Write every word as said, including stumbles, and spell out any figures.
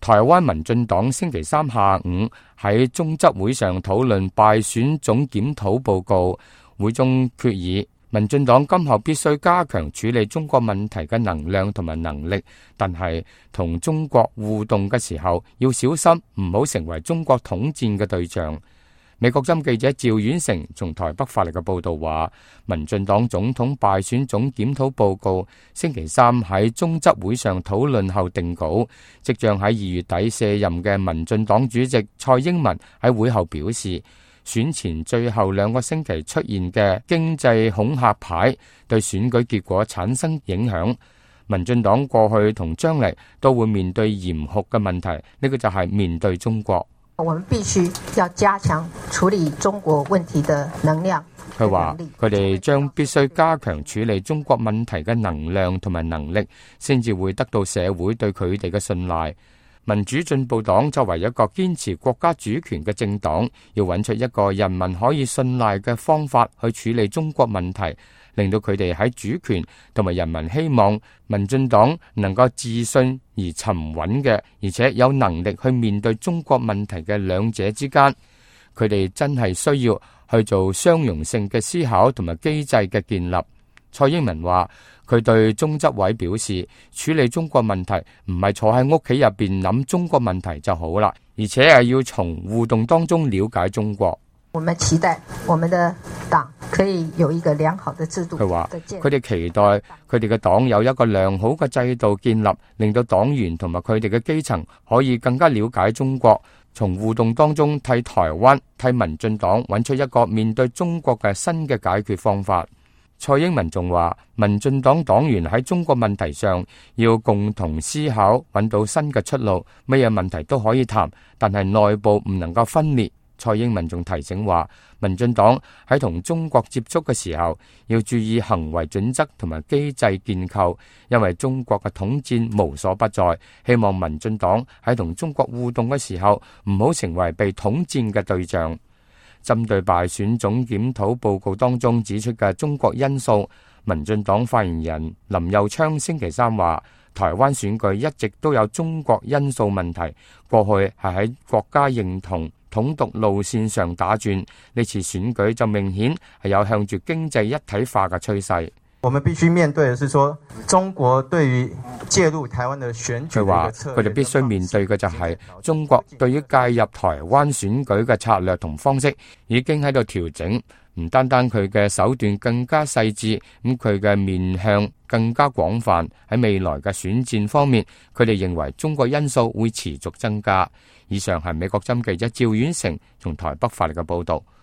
台灣民進黨星期三下午喺中執會上討論敗選總檢討報告，會中決議民進黨今後必須加強處理中國問題嘅能量同埋能力，但係同中國互動嘅時候要小心，唔好成為中國統戰嘅對象。美國針記者趙遠成從台北發嚟嘅報道話，民進黨總統敗選總檢討報告星期三喺中執會上討論後定稿，即將喺二月底卸任嘅民進黨主席蔡英文喺會後表示，選前最後兩個星期出現嘅經濟恐嚇牌對選舉結果產生影響，民進黨過去同將來都會面對嚴酷嘅問題，呢個就係面對中國。我們必須要加強處理中國問題的能量。佢話佢哋將必須加強處理中國問題嘅能量同埋能力，先至會得到社會對佢哋嘅信賴。民主進步黨作為一個堅持國家主權嘅政黨，要揾出一個人民可以信賴嘅方法去處理中國問題，令到佢哋喺主權同埋人民希望民進黨能夠自信而沉穩嘅，而且有能力去面對中國問題嘅兩者之間，佢哋真係需要去做相容性嘅思考同埋機制嘅建立。蔡英文話佢對中執委表示，處理中國問題唔係坐喺屋企入邊諗中國問題就好啦，而且係要從互動當中了解中國。我們期待我們的黨可以有一個良好的制度。佢話佢哋期待佢哋嘅黨有一個良好嘅制度建立，令到黨員同埋佢哋嘅基層可以更加了解中國，從互動當中替台灣、替民進黨揾出一個面對中國嘅新嘅解決方法。蔡英文仲話，民進黨黨員喺中國問題上要共同思考，揾到新嘅出路，乜嘢問題都可以談，但係內部唔能夠分裂。蔡英文仲提醒話，民進黨喺同中國接觸嘅時候，要注意行為準則同埋機制建構，因為中國嘅統戰無所不在。希望民進黨喺同中國互動嘅時候，唔好成為被統戰嘅對象。針對敗選總檢討報告當中指出嘅中國因素，民進黨發言人林右昌星期三話，台灣選舉一直都有中國因素問題，過去係喺國家認同統獨路線上打轉，呢次選舉就明顯係有向住經濟一體化嘅趨勢。我們必須面對嘅是說，中國對於介入台灣的選舉，佢話佢哋必須面對嘅就係中國對於介入台灣選舉嘅策略同方式已經喺度調整，唔單單佢嘅手段更加細緻，咁佢嘅面向更加廣泛。喺未來嘅選戰方面，佢哋認為中國因素會持續增加。以上係美國針記者趙遠成從台北發嚟嘅報道。